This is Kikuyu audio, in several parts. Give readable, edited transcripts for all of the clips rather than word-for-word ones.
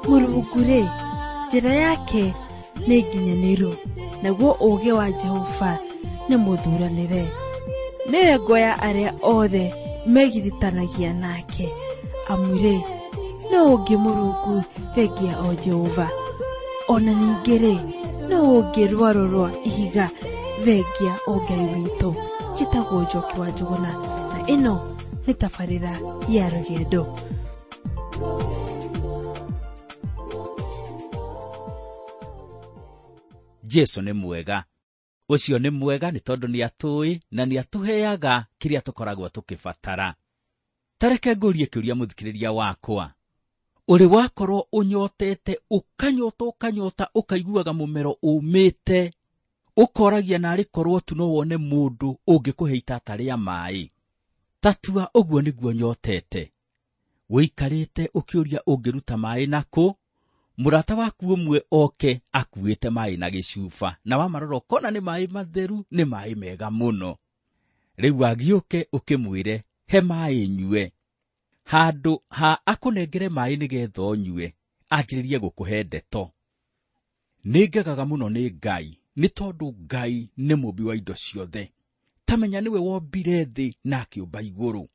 Mũrungu-rĩ, njĩra yake nĩ nginyanĩru, naguo ũũgĩ wa Jehova nĩ mũthuranĩre. Nĩwe ngo ya arĩa othe megiritanagia nake, amu-rĩ, nũũ ũngĩ Mũrungu thengia o Jehova? O na ningĩ-rĩ, nũũ ũngĩ rwaro rwa ihiga thengia o Ngai witũ? Njĩtagwo Njoki wa Njũgũna, na ĩno nĩ tabarĩra ya rũgendo. Jesu nĩ mwega. Ũcio nĩ mwega nĩ tondũ nĩ atũĩ na nĩ atũheaga kĩrĩa tũkoragwo tũkĩbatara. Ta reke ngũrie kĩũria mũthikĩrĩria wakwa. Ũrĩ wakorwo ũnyotete, ũkanyota, ũkanyota, ũkaiguaga mũmero ũmĩte, ũkoragia narĩ korwo tu no wone mũndũ ũngĩkũhe itata rĩa maĩ. Tatua ũguo nĩguo nyotete. Ũikarĩte ũkĩũria ũngĩruta maĩ nakũ, mũrata waku ũmwe oke akuĩte maĩ na gĩcuba, na wamarora ũkona nĩ maĩ matheru, nĩ maĩ mega mũno. Rĩu agĩũke ũkĩmwĩre he maĩ nyue. Handũ ha akũnengere maĩ nĩgetha ũnyue, anjĩrĩrie gũkũhe ndeto. Nĩ ngegaga mũno nĩ Ngai, nĩ tondũ Ngai nĩ mũmbi wa indo ciothe. Ta menya nĩwe wombire thĩ na akĩũmba igũrũ.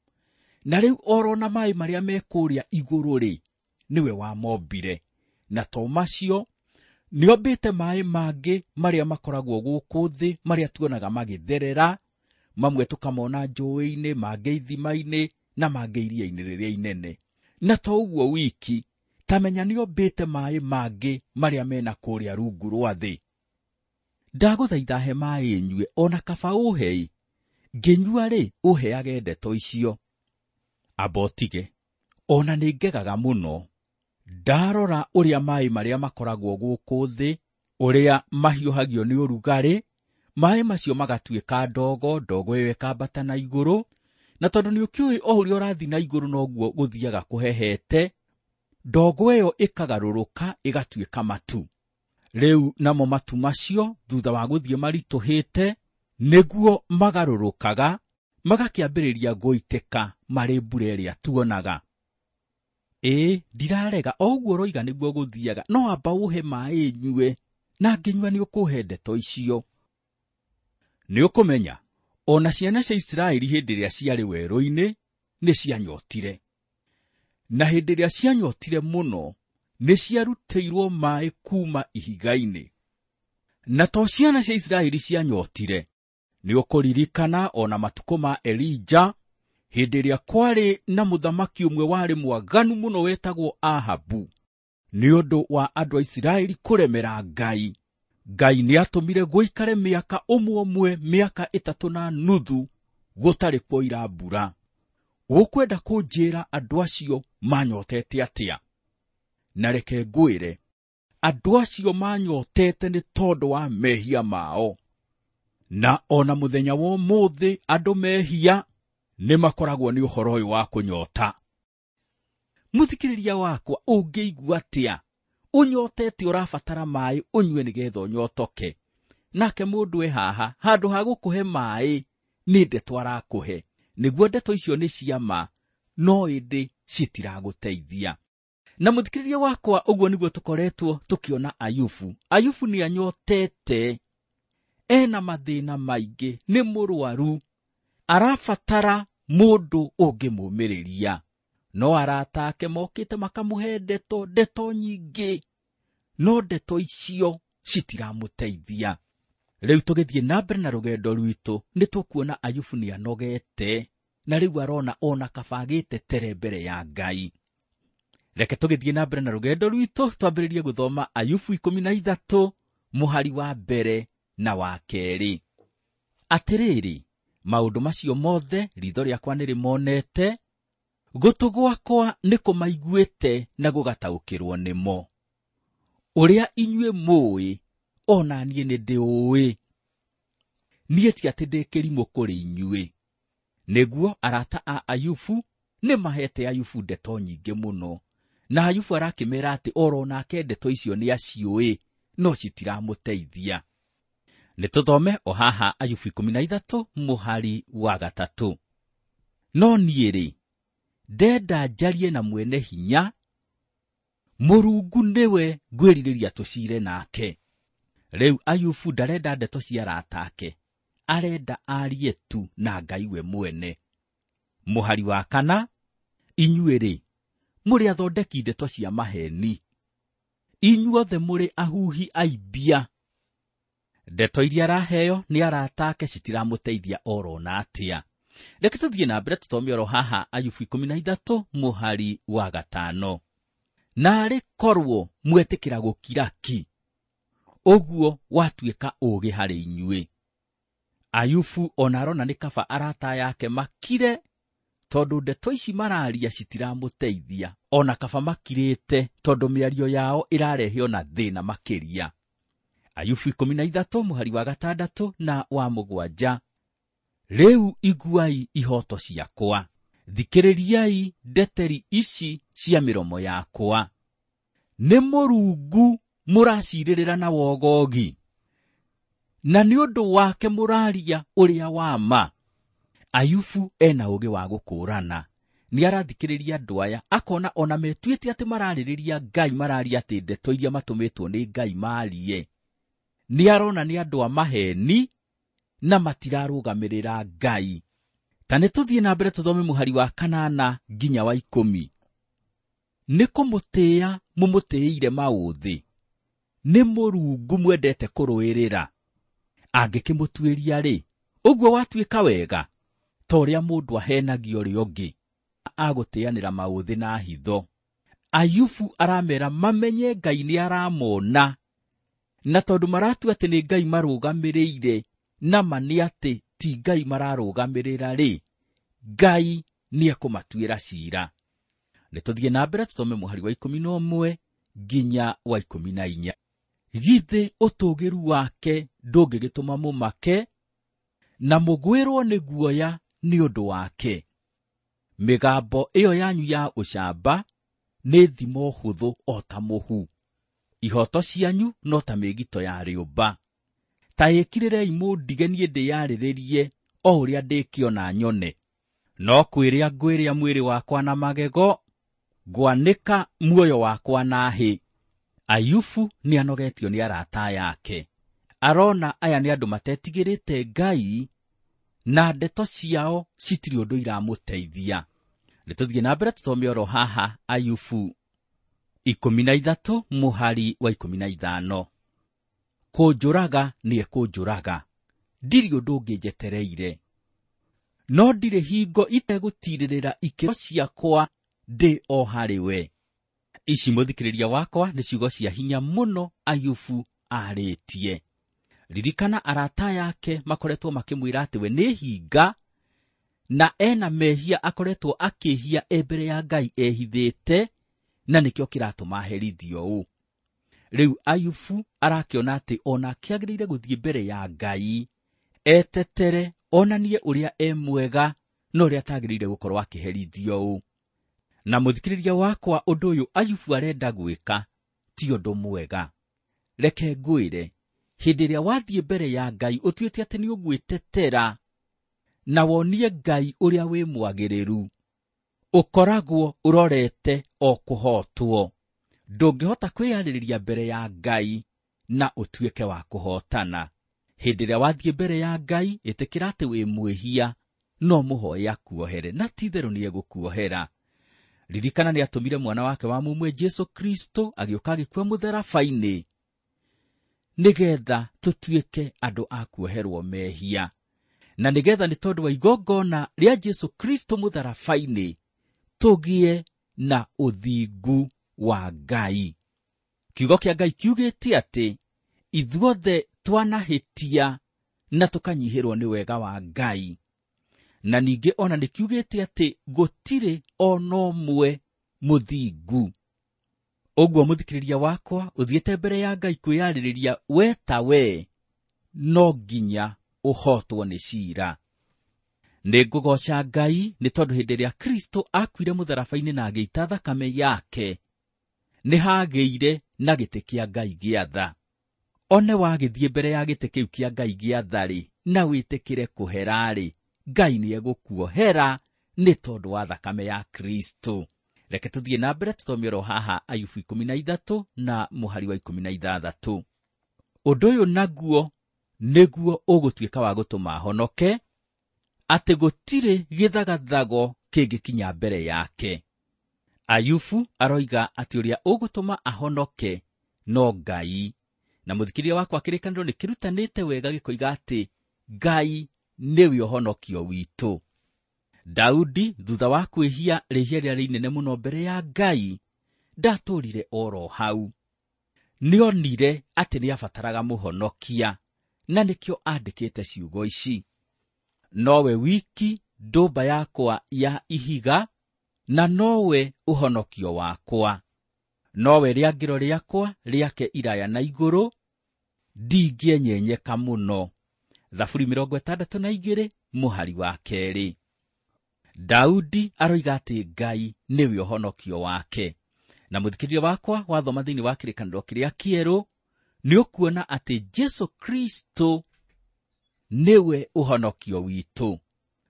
Na rĩu orona maĩ marĩa me kũrĩa igũrũ rĩ, nĩwe wamombire. Na to macio, nĩombĩte maĩ mangĩ marĩa makoragwo gũkũ thĩ, marĩa tuonaga magĩtherera, mamwe tũkamona njũĩ-inĩ, mangĩ ithima-inĩ, na mangĩ iria-inĩ rĩrĩa inene. Na to ũguo wiki, ta menya nĩombĩte maĩ mangĩ marĩa mena kũrĩa rungu rwa thĩ. Ndagũthaitha he maĩ nyue, ona kaba ũhe. Ngĩnyua rĩ, ũheage ndeto icio. Amba ũtige. Ona nĩ ngegaga mũno. Ndarora ũrĩa maĩ marĩa makoragwo gũkũ thĩ, ũrĩa mahiũhagio nĩ ũrugarĩ, maĩ macio magatuĩka ndogo, ndogo ĩyo ĩkambata na igũrũ, na tondũ nĩ ũkĩũĩ o ũrĩa ũrathiĩ na igũrũ noguo gũthiaga kũhehete, ndogo ĩyo ĩkagarũrũka ĩgatuĩka matu. Rĩu namo matu macio thutha wa gũthiĩ maritũhĩte, nĩguo magarũrũkaga, magakĩambĩrĩria gũitĩka marĩ mbura ĩrĩa tuonaga. Ĩĩ, ndirarega, o ũguo ũroiga nĩguo gũthiaga, no amba ũhe maĩ nyue, na ngĩnyua nĩ ũkũhe ndeto icio. Nĩ ũkũmenya, ona ciana cia Isiraeli hĩndĩ ĩrĩa ciarĩ werũ-inĩ, nĩ cianyotire. Na hĩndĩ ĩrĩa cianyotire mũno, nĩ ciarutĩirwo maĩ kuma ihiga-inĩ. Na to ciana cia Isiraeli cianyotire, nĩ ũkũririkana ona matukũ ma Elija, hĩndĩ ĩrĩa kwarĩ na mũthamaki ũmwe warĩ mwaganu mũno wetagwo Ahabu. Nĩ ũndũ wa andũ a Isiraeli kũremera Ngai, Ngai nĩ atũmire gũikare mĩaka ũmwe ũmwe, mĩaka 3.5 gũtarĩ kwoira mbura. Ũkwenda kũnjĩra andũ acio manyotete atĩa? Na reke ngwĩre, andũ acio manyotete nĩ tondũ wa mehia mao. Na ona mũthenya wa ũmũthĩ andũ mehia nĩ makoragwo nĩ ũhoro ũyũ wa kũnyota. Mũthikĩrĩria wakwa, ũngĩigua atĩa? Ũnyotete ũrabatara maĩ ũnyue nĩgetha ũnyotoke. Nake mũndũ e haha, handũ ha gũkũhe maĩ, nĩ ndeto arakũhe. Nĩguo ndeto icio nĩ cia ma, no ĩndĩ citiragũteithia. Na mũthikĩrĩria wakwa, ũguo nĩguo tũkoretwo tũkĩona Ayubu. Ayubu nĩ anyotete, ena mathĩna maingĩ, nĩ mũrwaru, arabatara mũndũ ũngĩmũmĩrĩria. No arata ake mokĩte makamũhe ndeto, ndeto nyingĩ, no ndeto icio citiramũteithia. Rĩu tũgĩthiĩ na mbere na rũgendo rwitũ, nĩ tũkuona Ayubu nĩ anogete, na rĩu arona ona kaba agĩtetere mbere ya Ngai. Reke tũgĩthiĩ na mbere na rũgendo rwitũ, twambĩrĩrie gũthoma Ayubu 13 mũhari wa mbere na wa kerĩ. Atĩrĩrĩ, maũndũ macio mothe ritho rĩakwa nĩrĩmonete, gũtũ gwakwa nĩ kũmaiguĩte na gũgataũkĩrwo nĩmo. Ũrĩa inyuĩ mũĩ, ona niĩ nĩ ndĩũĩ. Niĩ ti atĩ ndĩ kĩrimũ kũrĩ inyuĩ. Nĩguo arata a Ayubu nĩ mahete Ayubu ndeto nyingĩ mũno. Na Ayubu arakĩmera atĩ oro nake ndeto icio nĩ aciũĩ, no citiramũteithia. Nĩ tũthome o haha Ayubu 13 mũhari wa 3. No niĩ rĩ, ndenda njarie na mwene hinya, Mũrungu nĩwe ngwĩrirĩria tũcire nake. Rĩu Ayubu ndarenda ndeto cia arata ake, arenda arie tu na Ngai we mwene. Mũhari wa 4, inyuĩ-rĩ, mũrĩ athondeki ndeto cia maheni, inyuothe mũrĩ ahuhi aimbia. Ndeto iria araheo nĩ arata ake citiramũteithia oro na atĩa. Reke tũthiĩ na mbere tũthome oro haha Ayubu 13 mũhari wa 5. Naarĩ korwo mwetĩkĩra gũkira ki, ũguo watuĩka ũũgĩ harĩ inyuĩ. Ayubu ona arona nĩ kaba arata yake makire, tondũ ndeto ici mararia citiramũteithia, ona kaba makirĩte tondũ mĩario yao ĩrarehe ona thĩna makĩria. Ayubu 13 mũhari wa 6 na wa 7. Rĩu iguai ihoto ciakwa, thikĩrĩriai ndeteri ici cia mĩromo yakwa. Nĩ Mũrungu mũracirĩrĩra na wogogi, na nĩ ũndũ wake mũraria ũrĩa wa ma. Ayubu ena ũũgĩ wa gũkũũrana, nĩ arathikĩrĩria andũ aya, akona ona metuĩte atĩ mararĩrĩria Ngai, mararia atĩ ndeto iria matũmĩtwo nĩ Ngai marie. Nĩ arona nĩ andũ a maheni na matirarũgamĩrĩra Ngai. Ta nĩ tũthiĩ na mbere tũthome mũhari wa 8 nginya wa 10. Nĩ kũmũtĩĩa mũmũtĩĩire maũthĩ, nĩ Mũrungu mwendete kũrũĩrĩra. Angĩkĩmũtuĩria rĩ, ũguo watuĩka wega, ta ũrĩa mũndũ ahenagio ũrĩa ũngĩ, agũtĩanĩra maũthĩ na hitho. Ayubu aramera mamenye Ngai nĩ aramona, na tondũ maratua atĩ nĩ Ngai marũgamĩrĩire, na ma nĩ atĩ ti Ngai mararũgamĩrĩra rĩ, Ngai nĩ ekũmatuĩra cira. Nĩ tũthiĩ na mbere tũthome mũhari wa 11 nginya wa 14. Githĩ ũtũũgĩru wake ndũngĩgĩtũma mũmake, na mũgwĩrwo nĩ guoya nĩ ũndũ wake? Mĩgambo ĩyo yanyu ya ũcamba nĩ thimo hũthũ o ta mũhu, ihoto cianyu no ta mĩĩgito ya rĩũmba. Ta ĩkirĩrei mũndige niĩ ndĩyarĩrĩrie o ũrĩa ndĩkĩona nyone. No kwĩrĩa ngwĩrĩa mwĩrĩ wakwa na magego, ngwanĩka muoyo wakwa na hĩ. Ayubu nĩ anogetio nĩ arata yake. Arona aya nĩ andũ matetigĩrĩte Ngai, na ndeto ciao citirĩ ũndũ iramũteithia. Nĩ tũthiĩ na mbere tũthome oro haha Ayubu 13 mũhari wa 15. Kũnjũraga nĩ ekũnjũraga, ndirĩ ũndũ ũngĩ njetereire, no ndirĩ hingo itegũtirĩrĩra ikĩro ciakwa ndĩ o harĩ we. Ici mũthikĩrĩria wakwa nĩ ciugo cia hinya mũno Ayubu arĩtie. Ririkana arata yake makoretwo makĩmwĩra atĩ we nĩ hinga, na ena mehia akoretwo akĩhia e mbere ya Ngai ehithĩte, na nĩkĩo kĩratũma aherithio ũũ. Rĩu Ayubu arakĩona atĩ ona akĩagĩrĩire gũthiĩ mbere ya Ngai etetere, onanie ũrĩa e mwega na ũrĩa atagĩrĩire gũkorwo akĩherithio ũũ. Na mũthikĩrĩria wakwa, ũndũ ũyũ Ayubu arenda gwĩka ti ũndũ mwega. Reke ngwĩre, hĩndĩ ĩrĩa wathiĩ mbere ya Ngai ũtuĩte atĩ nĩ ũgwĩtetera na wonie Ngai ũrĩa wĩ mwagĩrĩru, ũkoragwo ũrorete o kũhotwo. Ndũngĩhota kwĩyarĩrĩria mbere ya Ngai na ũtuĩke wa kũhotana. Hĩndĩ ĩrĩa wathiĩ mbere ya Ngai, ĩtĩkĩra atĩ wĩ mwĩhia, no mũhoe akuohere, na ti-itherũ nĩ egũkuohera. Ririkana nĩ atũmire mwana wake wa mũmwe Jesũ Kristo agĩũka agĩkua mũtharaba-inĩ, nĩgetha tũtuĩke andũ a kuoherwo mehia, na nĩgetha nĩ tondũ wa igongona rĩa Jesũ Kristo mũtharaba-inĩ tũgĩe na ũthingu wa Ngai. Kiugo kĩa Ngai kiugĩte atĩ ithuothe twanahĩtia na tũkanyihĩrwo nĩ wega wa Ngai, na ningĩ ona nĩ kiugĩte atĩ gũtirĩ ona ũmwe mũthingu. Ũguo mũthikĩrĩria wakwa, ũthiĩte mbere ya Ngai kwĩyarĩrĩria we ta we, no nginya ũhotwo nĩ cira. Nĩ ngũgooca Ngai nĩ tondũ hĩndĩ ĩrĩa Kristo akuire mũtharaba-inĩ na agĩita thakame yake, nĩ hagĩire na gĩtĩ kĩa Ngai gĩa tha. One wagĩthiĩ mbere ya gĩtĩ kĩu kĩa Ngai gĩa tha-rĩ, na wĩtĩkĩre kũhera-rĩ, Ngai nĩ egũkuohera nĩ tondũ wa thakame ya Kristo. Reke tũthiĩ na mbere tũthome oro haha Ayubu 13 na mũhari wa 16. Ũndũ ũyũ naguo nĩguo ũgũtuĩka wa gũtũma honoke, atĩ gũtirĩ gĩthagathago kĩngĩkinya mbere yake. Ayubu aroiga atĩ ũrĩa ũgũtũma ahonoke no Ngai. Na mũthikĩrĩria wakwa kĩrĩkanĩro nĩ kĩrutanĩte wega gĩkoiga atĩ Ngai nĩwe ũhonokio witũ. Daudi thutha wa kwĩhia rĩhia rĩrĩa rĩnene mũno mbere ya Ngai, ndatũrire oro hau. Nĩonire atĩ nĩabataraga mũhonokia, na nĩkĩo andĩkĩte ciugo ici: nowe wiki ndũmba yakwa ya ihiga, na nowe ũhonokio wakwa, nowe rĩangĩro rĩakwa rĩake iraya na igũrũ, ndingĩenyenyeka mũno. Thaburi 62 mũhari wa 2. Daudi aroiga atĩ Ngai nĩwe ũhonokio wake. Na mũthikĩrĩria wakwa wathoma thĩinĩ wa kĩrĩkanĩro kĩrĩa kĩerũ, nĩ ũkuona atĩ Jesu Kristo nĩwe ũhonokio witũ.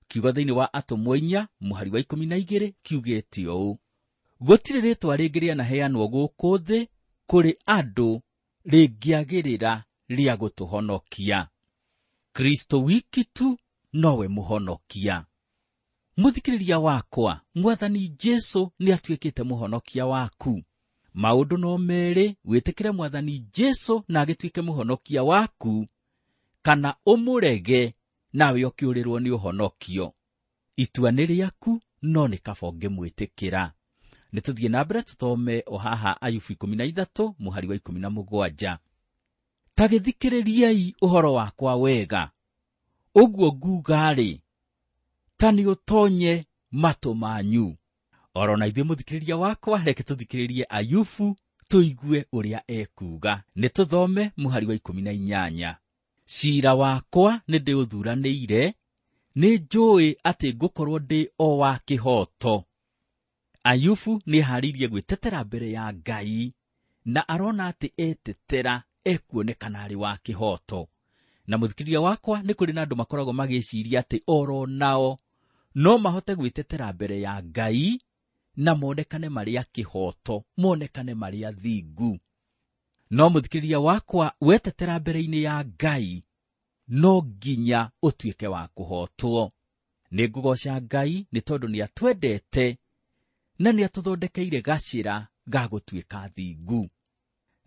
Kiugo thĩinĩ wa Atũmwo 4 mũhari wa 12 kiugĩte ũũ: gũtirĩ rĩtwa rĩngĩ rĩanaheanwo gũkũ thĩ kũrĩ andũ rĩngĩagĩrĩra rĩa gũtũhonokia. Kristo wiki tu nowe mũhonokia. Mũthikĩrĩria wakwa, Mwathani Jesu nĩatuĩkĩte mũhonokia waku. Maũndũ no merĩ, wĩtĩkĩre Mwathani Jesu na agĩtuĩke mũhonokia waku, kana ũmũrege nawe ũkĩũrĩrwo nĩ ũhonokio. Itua nĩ rĩaku, no nĩ kaba ũngĩmwĩtĩkĩra. Nĩ tũthiĩ na mbere tũthome o haha Ayubu 13 mũhari wa 17. Ta gĩthikĩrĩriei ũhoro wakwa wega, ũguo nguga-rĩ, ta nĩ ũtonye matũ manyu. Oro na ithuĩ mũthikĩrĩria wakwa, reke tũthikĩrĩrie Ayubu tũigue ũrĩa ekuuga. Nĩ tũthome mũhari wa 18. Ciira wakwa nĩ ndĩũthuranĩire, nĩ njũĩ atĩ ngũkorwo ndĩ o wa kĩhooto. Ayubu nĩeharĩirie gwĩtetera mbere ya Ngai, na arona atĩ etetera ekuonekana arĩ wa kĩhooto. Na mũthikĩrĩria wakwa, nĩ kũrĩ na andũ makoragwo magĩciria atĩ oro nao no mahote gwĩtetera mbere ya Ngai na monekane marĩ a kĩhooto, monekane marĩ athingu. No mũthikĩrĩria wakwa, wetetera mbere-inĩ ya Ngai no nginya ũtuĩke wa kũhootwo. Nĩ ngũgooca Ngai nĩ tondũ nĩatwendete na nĩatũthondekeire gacĩra ga gũtuĩka thingu.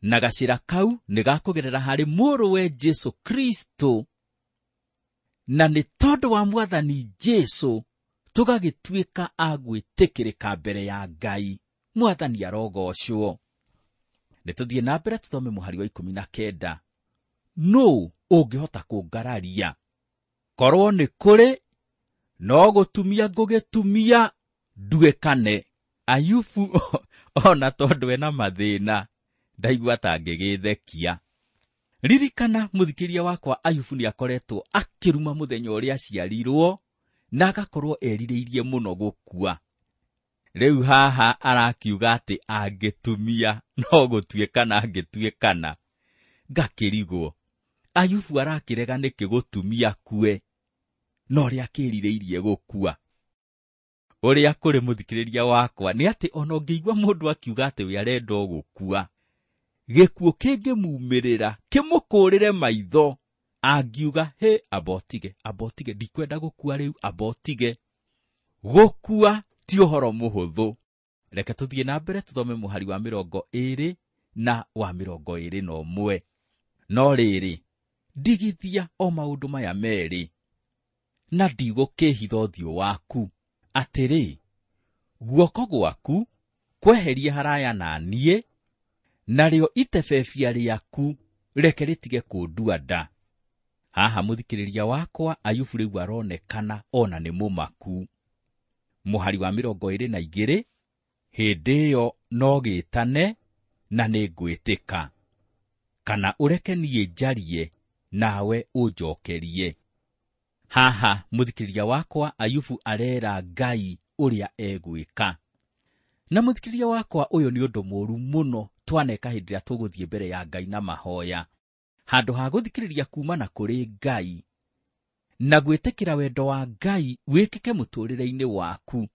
Na gacĩra kau nĩ gakũgerera harĩ mũrũwe Jesu Kristo, na nĩ tondũ wa Mwathani Jesu tũgagĩtuĩka a gwĩtĩkĩrĩka mbere ya Ngai. Mwathani arogocwo. Nĩ tũthiĩ na mbere tũthome mũhari wa 19. Nũũ ũngĩhota kũngararia? Korwo nĩ kũrĩ, no gũtumia ngũgĩtumia nduĩkane. Ayubu ona tondũ ena mathĩna ndaigua ta angĩgĩthekia. Ririkana mũthikĩria wakwa, Ayubu nĩakoretwo akĩruma mũthenya ũrĩa aciarirwo na agakorwo erirĩirie mũno gũkua. Rĩu haha arakiuga atĩ angĩtumia no gũtuĩkana angĩtuĩkana. Ngakĩrigwo, Ayubu arakĩrega nĩkĩ gũtumia kue, no ũrĩa akĩrirĩirie gũkua. Ũrĩa kũrĩ mũthikĩrĩria wakwa nĩ atĩ ona ũngĩigua mũndũ akiuga atĩ we arenda o gũkua, gĩkuũ kĩngĩmumĩrĩra kĩmũkũrĩre maitho, angiuga hĩ, amba ũtige, ndikwenda gũkua rĩu, amba ũtige. Gũkua ti ũhoro mũhũthũ. Reke tũthiĩ na mbere tũthome mũhari wa 20 na wa 21. No rĩrĩ, ndigithia o maũndũ maya merĩ, na ndigũkĩhitha ũthiũ waku, atĩrĩ, guoko gwaku kweherie haraya na niĩ, narĩo itebebia rĩaku reke rĩtige kũndua nda. Haha mũthikĩrĩria wakwa, Ayubu rĩu aronekana ona nĩ mũmaku. Mũhari wa 22, hĩndĩ ĩyo no gĩtane na nĩngwĩtĩka, kana ũreke niĩ njarie nawe ũnjookerie. Haha mũthikĩrĩria wakwa, Ayubu arera Ngai ũrĩa egwĩka. Na mũthikĩrĩria wakwa, ũyũ nĩ ũndũ mũũru mũno twaneka hĩndĩ ĩrĩa tũgũthiĩ mbere ya Ngai na mahoya. Handũ ha gũthikĩrĩria kuumana kũrĩ Ngai na gwĩtĩkĩra wendo wa Ngai wĩkĩke mũtũũrĩre-inĩ waku,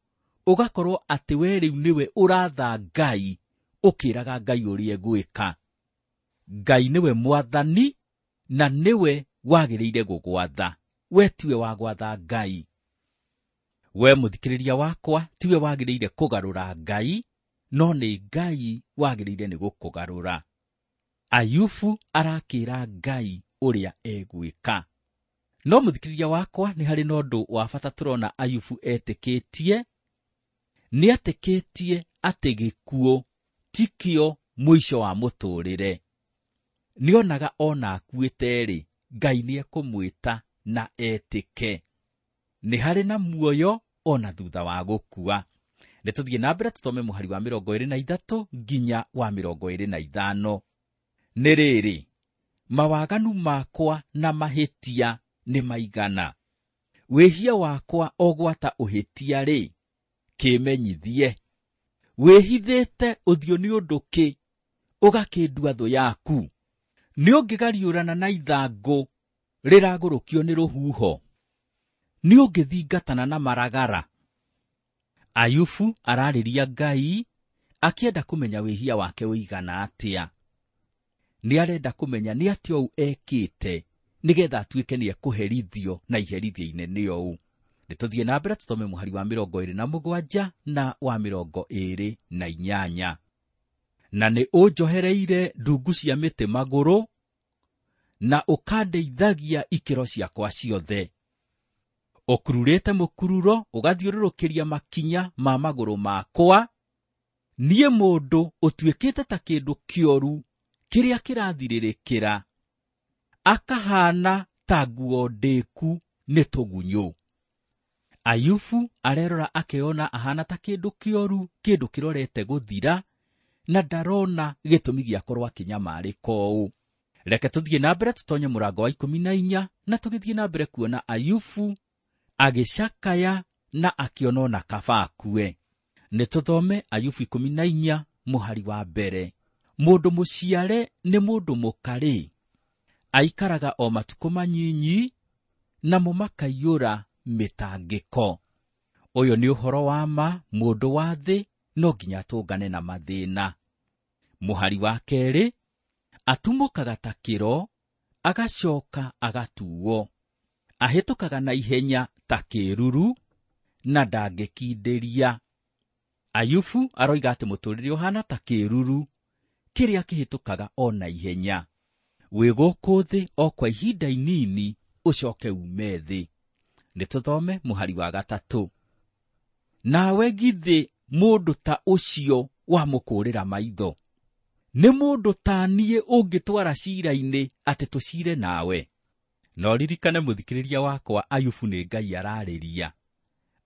Ũgakorwo atĩ we rĩu nĩwe ũratha Ngai, ũkĩraga Ngai ũrĩa egwĩka. Ngai nĩwe mwathani na nĩwe wagĩrĩire gũgwatha. We tiwe wa gwatha Ngai. We mũthikĩrĩria wakwa tiwe wagĩrĩire kũgarũra Ngai, no nĩ Ngai wagĩrĩire nĩ gũkũgarũra. Ayubu arakĩra Ngai ũrĩa egwĩka. No mũthikĩrĩria wakwa nĩ harĩ na ũndũ wa bata tũrona Ayubu etĩkĩtie. Nĩ etĩkĩtie atĩ gĩkuũ tikĩo mũico wa mũtũrĩre. Nĩonaga ona akuĩte-rĩ, Ngai nĩekũmwĩta na etĩke. Nĩ harĩ na muoyo ona thutha wa gũkua. Nĩ tũthiĩ na mbere tũthome mũhari wa 23 nginya wa 25. Nĩ rĩrĩ, mawaganu makwa na mahĩtia nĩ maigana. Wĩhia wakwa o gwata ũhĩtia-rĩ, kĩmenyithie. Wĩhithĩte ũthiũ nĩ ũndũ kĩ, ũgakĩndua thũ yaku? Nĩ ũngĩgariũrana na ithangũ rĩragũrũkio nĩ rũhuho? Nĩ ũngĩthingatana na maragara? Ayubu ararĩria Ngai akĩenda kũmenya wĩhia wake ũigana atĩa. Nĩ arenda kũmenya nĩ atĩa ũũ ekĩte nĩgetha atuĩke nĩ ekũherithio na iherithia inene ũũ. Nĩ tũthiĩ na mbere tũthome mũhari wa 27 na wa 28. Na nĩ ũnjohereire ndungu cia mĩtĩ magũrũ na ũkandeithagia ikĩro ciakwa ciothe. Ũkururĩte mũkururo ũgathiũrũrũkĩria makinya ma magũrũ makwa. Niĩ mũndũ ũtuĩkĩte ta kĩndũ kĩoru kĩrĩa kĩrathirĩrĩkĩra, akahana ta nguo ndĩku nĩ tũgunyũ. Ayubu arerora akeyona ahana ta kĩndũ kĩoru, kĩndũ kĩrorete gũthira, na ndarona gĩtũmi gĩakorwo akĩnyamarĩka ũũ. Reke tũthiĩ na mbere tũtonye mũrango wa 14 na tũgĩthiĩ na mbere kuona Ayubu agĩcakaya na akĩona ona kaba akue. Nĩ tũthome Ayubu 14 mũhari wa mbere. Mũndũ mũciare nĩ mũndũ mũkarĩ, aikaraga o matukũ manyinyi, namo makaiyũra mĩtangĩko. Ũyũ nĩ ũhoro wa ma, mũndũ wa thĩ no nginya atũngane na mathĩna. Mũhari wa kerĩ, atumũkaga ta kĩro, agacoka agatuo. Ahĩtũkaga na ihenya ta kĩruru, na ndangĩkindĩria. Ayubu aroiga atĩ mũtũrĩre ũhana ta kĩruru kĩrĩa kĩhĩtũkaga o na ihenya. Wĩ gũkũ thĩ o kwa ihinda inini, ũcoke ume thĩ. Nĩ tũthome mũhari wa 3. Nawe githĩ mũndũ ta ũcio wamũkũrĩra maitho? Nĩ mũndũ ta niĩ ũngĩtwara cira-inĩ atĩ tũcire nawe? No ririkane mũthikĩrĩria wakwa, Ayubu nĩ Ngai ararĩria.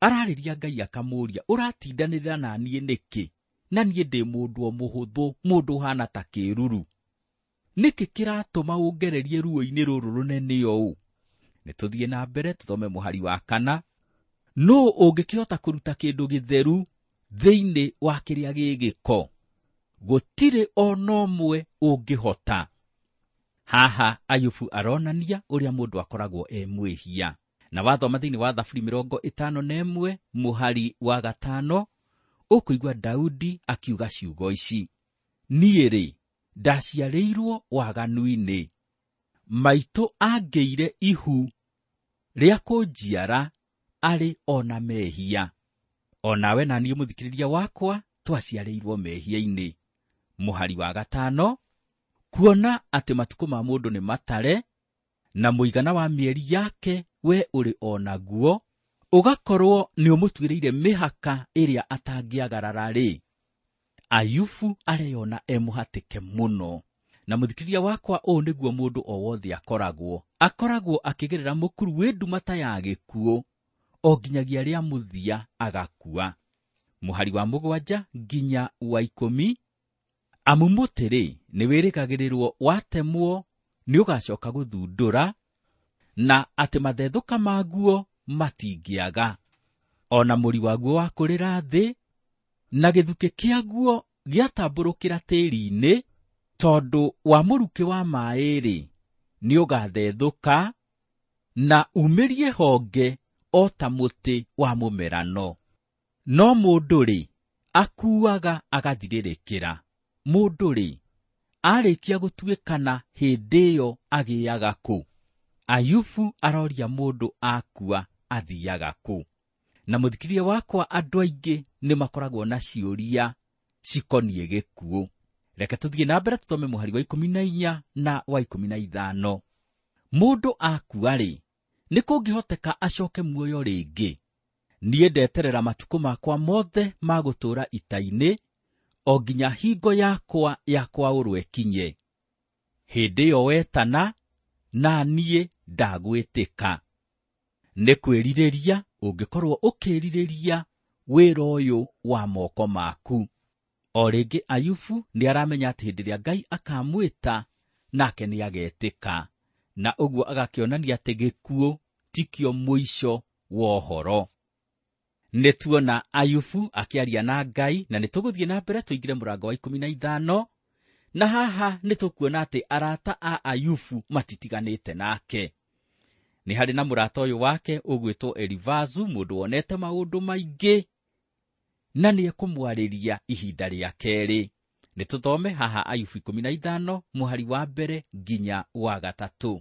Ararĩria Ngai akamũũria, ũratindanĩrĩra na niĩ nĩkĩ? Na niĩ ndĩ mũndũ o mũhũthũ, mũndũ ũhana ta kĩruru. Nĩkĩ kĩratũma ũngererie ruo-inĩ rũrũ rũnene ũũ? Nĩ tũthiĩ na mbere tũthome mũhari wa 4. Nũũ ũngĩkĩhota kũruta kĩndũ gĩtheru thĩinĩ wa kĩrĩa gĩ gĩko? Gũtirĩ ona ũmwe ũngĩhota. Haha Ayubu aronania ũrĩa mũndũ akoragwo e mwĩhia. Na wathoma thĩinĩ wa Thaburi 51 mũhari wa 5, ũkũigua Daudi akiuga ciugo ici: niĩ rĩ, ndaciarĩirwo waganu-inĩ, maitũ angĩire ihu rĩa kũnjiara arĩ ona mehia. O nawe na niĩ mũthikĩrĩria wakwa twaciarĩirwo mehia-inĩ. Mũhari wa 5, kuona atĩ matukũ ma mũndũ nĩ matare na mũigana wa mĩeri yake we ũrĩ o naguo, ũgakorwo nĩ ũmũtuĩrĩire mĩhaka ĩrĩa atangĩagarara-rĩ. Ayubu areyona e mũhatĩke mũno. Na mũthikĩrĩria wakwa, ũũ nĩguo mũndũ o wothe akoragwo. Akoragwo akĩgerera mũkuru wĩ nduma ta ya gĩkuũ, o nginyagia rĩa mũthia agakua. Mũhari wa 7 nginya wa 10, amu mũtĩ-rĩ, nĩ wĩrĩgagĩrĩrwo watemwo nĩ ũgacoka gũthundũra, na atĩ mathethũka maguo matingĩaga. Ona mũri waguo wakũrĩra thĩ, na gĩthukĩ kĩaguo gĩatambũrũkĩra tĩri-inĩ, tondũ wa mũrukĩ wa maĩ-rĩ, nĩ ũgathethũka na umĩrie honge o ta mũtĩ wa mũmerano. No mũndũ-rĩ, akuaga agathirĩrĩkĩra. Mũndũ-rĩ, arĩkia gũtuĩkana hĩndĩ ĩyo agĩaga kũ? Ayubu aroria mũndũ akua athiaga kũ? Na mũthikĩrĩria wakwa, andũ aingĩ nĩ makoragwo na ciũria cikoniĩ gĩkuũ. Reke tũthiĩ na mbere tũthome mũhari wa 14 na wa 15. Mũndũ akua-rĩ, nĩ kũngĩhoteka acoke muoyo rĩngĩ? Niĩ ndeterera matukũ makwa mothe ma gũtũũra ita-inĩ, o nginya hingo yakwa ya kwaũrwo ĩkinye. Hĩndĩ ĩyo wetana, na niĩ ndagwĩtĩka. Nĩ kwĩrirĩria ũngĩkorwo ũkĩrirĩria wĩra ũyũ wa moko maku. O rĩngĩ Ayubu nĩ aramenya atĩ hĩndĩ ĩrĩa Ngai akamwĩta, nake nĩ agetĩka, na ũguo agakĩonania atĩ gĩkuũ tikĩo mũico wa ũhoro. Nĩ tuona Ayubu akĩaria na Ngai, na nĩ tũgũthiĩ na mbere tũingĩre mũrango wa 15, na haha nĩ tũkuona atĩ arata a Ayubu matitiganĩte nake. Nĩ harĩ na mũrata ũyũ wake ũgwĩtwo Elifazu, mũndũ wonete maũndũ maingĩ, na nĩ ekũmwarĩria ihinda rĩa kerĩ. Nĩ tũthome haha Ayubu 15 mũhari wa 1 nginya wa 3.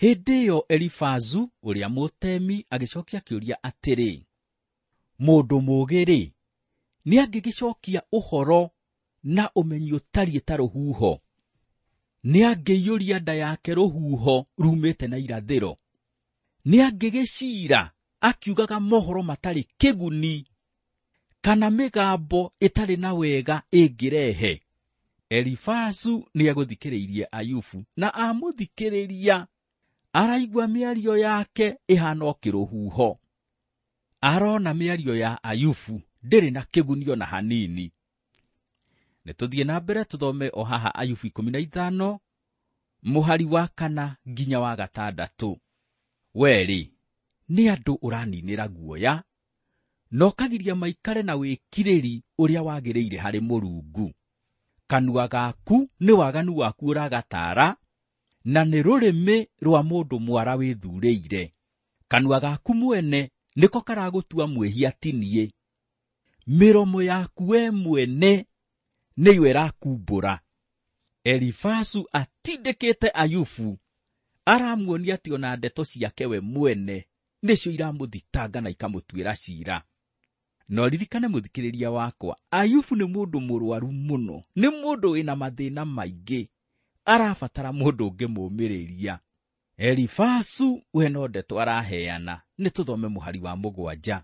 Hĩndĩ ĩyo Elifazu ũrĩa mũtemi agĩcokia kĩũria atĩrĩ, mũndũ mũũgĩ-rĩ, nĩ angĩgĩcokia ũhoro na ũmenyi ũtariĩ ta rũhuho? Nĩ angĩiyũria nda yake rũhuho rumĩte na irathĩro? Nĩ angĩgĩciira akiugaga mohoro matarĩ kĩguni, kana mĩgambo ĩtarĩ na wega ĩngĩrehe? Elifazu nĩ egũthikĩrĩirie Ayubu, na amũthikĩrĩria araigua mĩario yake ĩhana o kĩrũhuho. Arona mĩario ya Ayubu ndĩrĩ na kĩguni ona hanini. Nĩ tũthiĩ na mbere tũthome o haha Ayubu 15 mũhari wa 4 nginya wa 6. Werĩ, nĩ andũ ũraninĩra guoya, na ũkagiria maikare na wĩkirĩri ũrĩa wagĩrĩire harĩ Mũrungu. Kanua gaku nĩ waganu waku ũragatara, na nĩ rũrĩmĩ rwa mũndũ mwara wĩthurĩire. Kanua gaku mwene nĩko karagũtua mwĩhia ti niĩ. Mĩromo yaku we mwene nĩyo ĩrakumbũra. Elifazu atindĩkĩte Ayubu, aramuonia atĩ ona ndeto ciake we mwene nĩcio iramũthitanga na ikamũtuĩra ciira. No ririkane mũthikĩrĩria wakwa, Ayubu nĩ mũndũ mũrwaru mũno, nĩ mũndũ wĩna mathĩna maingĩ, arabatara mũndũ ũngĩmũũmĩrĩria. Elifazu we no ndeto araheana. Nĩ tũthome mũhari wa 7.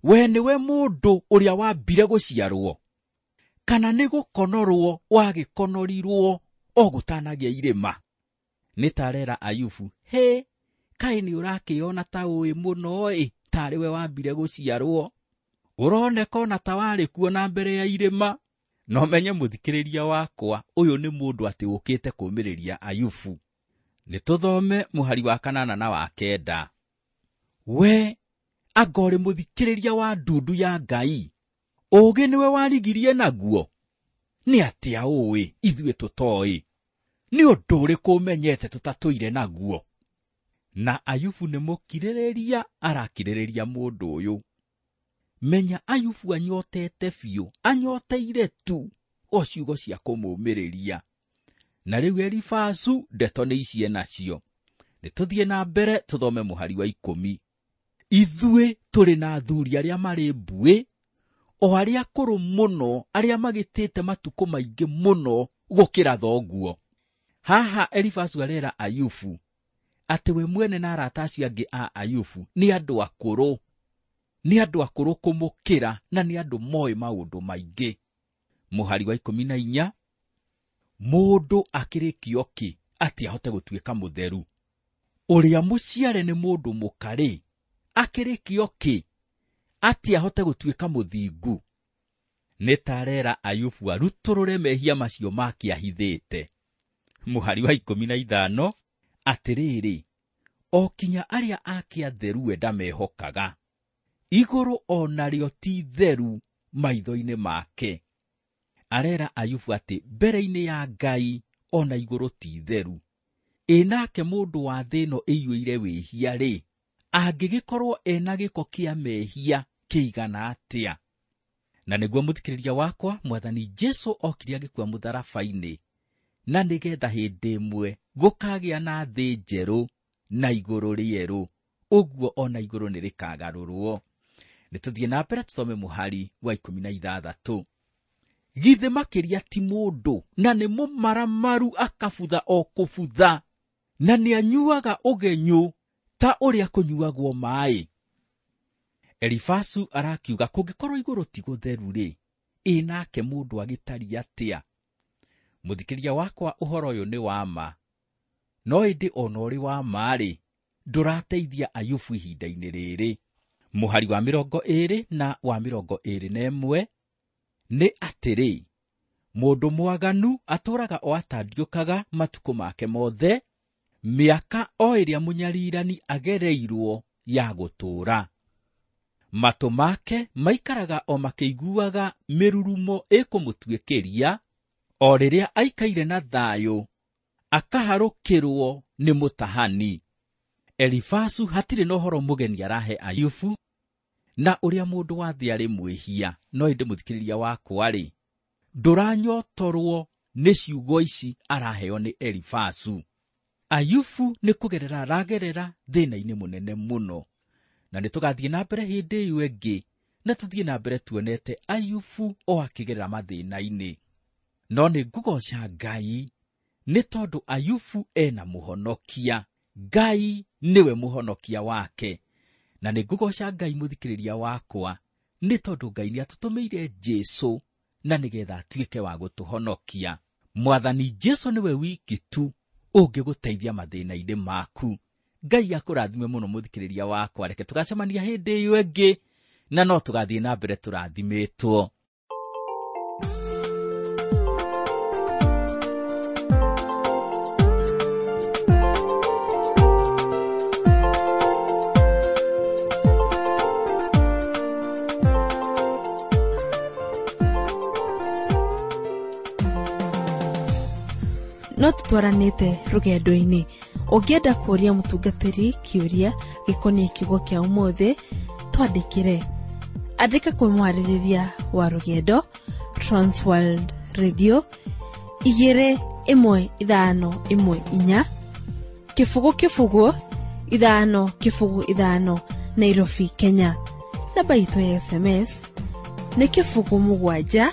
We nĩwe mũndũ ũrĩa wambire gũciarwo, kana nĩ gũkonorwo wagĩkonorirwo o gũtanagĩa irĩma? Nĩ tarera Ayubu, hĩ, kaĩ nĩ ũrakĩona ta ũĩ mũno ĩ, tarĩ we wambire gũciarwo, ũroneka ona ta warĩ kuo na mbere ya irĩma. No menye mũthikĩrĩria wakwa, ũyũ nĩ mũndũ atĩ ũkĩte kũũmĩrĩria Ayubu. Nĩ tũthome mũhari wa 8 na wa 9. We anga ũrĩ mũthikĩrĩria wa ndundu ya Ngai, ũũgĩ nĩwe warigirie naguo? Nĩ atĩa ũĩ ithuĩ tũtoĩ? Nĩ ũndũ ũrĩkũ ũmenyete tũtatũire naguo? Na Ayubu nĩ mũkirĩrĩria arakirĩrĩria mũndũ ũyũ. Menya Ayubu anyotete biũ, anyoteire tu o ciugo cia kũmũũmĩrĩria. Na rĩu Elifazu ndeto nĩ ici enacio. Nĩ tũthiĩ na mbere tũthome mũhari wa 10. Ithuĩ tũrĩ na athuri arĩa marĩ mbuĩ, o arĩa akũrũ mũno, arĩa magĩtĩte matukũ maingĩ mũno gũkĩra thoguo. Haha Elifazu arera Ayubu atĩ we mwene na arata acio angĩ a Ayubu nĩ andũ akũrũ, nĩ andũ akũrũ kũmũkĩra, na nĩ andũ moĩ maũndũ maingĩ. Mũhari wa 14, mũndũ akĩrĩkio kĩ atĩ ahote gũtuĩka mũtheru? Ũrĩa mũciare nĩ mũndũ mũkarĩ akĩrĩkio kĩ atĩ ahote gũtuĩka mũthingu? Nĩ tarera Ayubu arutũrũre mehia macio make ahithĩte. Mũhari wa 15, atĩrĩrĩ, o kinya arĩa ake atheru we ndamehokaga, igũrũ o narĩo ti theru maitho-inĩ make. Arera Ayubu atĩ mbere-inĩ ya Ngai ona igũrũ ti theru. Ĩ nake mũndũ wa thĩ ĩno ĩiyũire wĩhia-rĩ, angĩgĩkorwo ena gĩko kĩa mehia kĩigana atĩa. Na nĩguo mũthikĩrĩria wakwa, Mwathani Jesu okire agĩkua mũtharaba-inĩ, na nĩgetha hĩndĩ ĩmwe gũkagĩa na thĩ njerũ na igũrũ rĩerũ, ũguo ona igũrũ nĩ rĩkagarũrwo. Nĩ tũthiĩ na mbere tũthome mũhari wa 16. Githĩ makĩria ti mũndũ, na nĩ mũmaramaru akabutha o kũbutha, na nĩanyuaga ũgenyũ ta ũrĩa kũnyuagwo maaĩ. Elifasu arakiuga kũngĩkorwo igũrũ ti gũtheru-rĩ, ĩ nake mũndũ agĩtariĩ atĩa? Mũthikĩrĩria wakwa, ũhoro ũyũ nĩ wa ma, no ĩndĩ ona ũrĩ wa ma-rĩ, ndũrateithia Ayubu ihinda-inĩ rĩrĩ. Mũhari wa 20 na wa 21 nĩ atĩrĩ, mũndũ mwaganu atũũraga o atandiũkaga matukũ make mothe, mĩaka o ĩrĩa mũnyarirani agereirwo ya gũtũũra. Matũ make maikaraga o makĩiguaga mĩrurumo ĩkũmũtuĩkĩria, o rĩrĩa aikaire na thayũ akaharũkĩrwo nĩ mũtahani. Elifasu hatirĩ na ũhoro mũgeni arahe Ayubu na ũrĩa mũndũ wa thĩ arĩ mwĩhia. No ĩndĩ mũthikĩrĩria wakwa-rĩ, ndũranyotorwo nĩ ciugo ici araheo nĩ Elifasu. Ayubu nĩ kũgerera aragerera thĩna-inĩ mũnene mũno, na nĩ tũgathiĩ na mbere hĩndĩ ĩyo ĩngĩ, na tũthiĩ na mbere tuonete Ayubu o akĩgerera mathĩna-inĩ. No nĩ ngũgoca Ngai nĩ tondũ Ayubu ena mũhonokia. Ngai nĩwe mũhonokia wake. Na nĩ ngũgoca Ngai mũthikĩrĩria wakwa nĩ tondũ Ngai nĩ atũtũmĩire Jesu na nĩgetha atuĩke wa gũtũhonokia. Mwathani Jesu nĩwe wiki tu ũngĩgũteithia mathĩna-inĩ maku. Ngai akũrathime mũno mũthikĩrĩria wakwa. Reke tũgacemania hĩndĩ ĩyo ĩngĩ, na no tũgathiĩ na mbere tũrathimĩtwo. No tũtwaranĩte rũgendo-inĩ. Ũngĩenda kũũria mũtungatĩri kĩũria gĩkoniĩ kiugo kĩa ũmũthĩ, twandĩkĩre. Andĩka kwĩ mwarĩrĩria wa rũgendo, Transworld Radio 21514 0 0 5 0 5 Nairobi, Kenya. Namba itũ ya SMS nĩ 0 7 1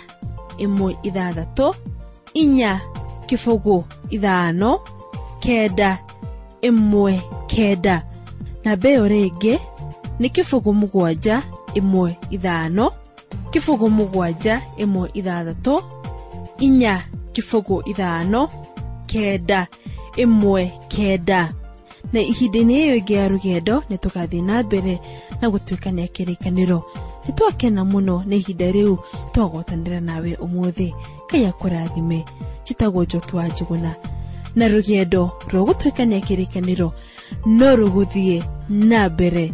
6 4 0 5 9 1 9. Namba ĩyo rĩngĩ nĩ 0 7 1 5 0 7 1 6 4 0 5 9 1 9. Na ihinda-inĩ ĩyo ĩngĩ ya rũgendo nĩ tũgathiĩ na mbere na gũtuĩkania kĩrĩkanĩro. Nĩ twakena mũno nĩ ihinda rĩu twagwatanĩra nawe ũmũthĩ. Ngai akũrathime. Njĩtagwo Njoki wa Njũgũna, na rũgendo rwa gũtuĩkania kĩrĩkanĩro no rũgũthiĩ na mbere.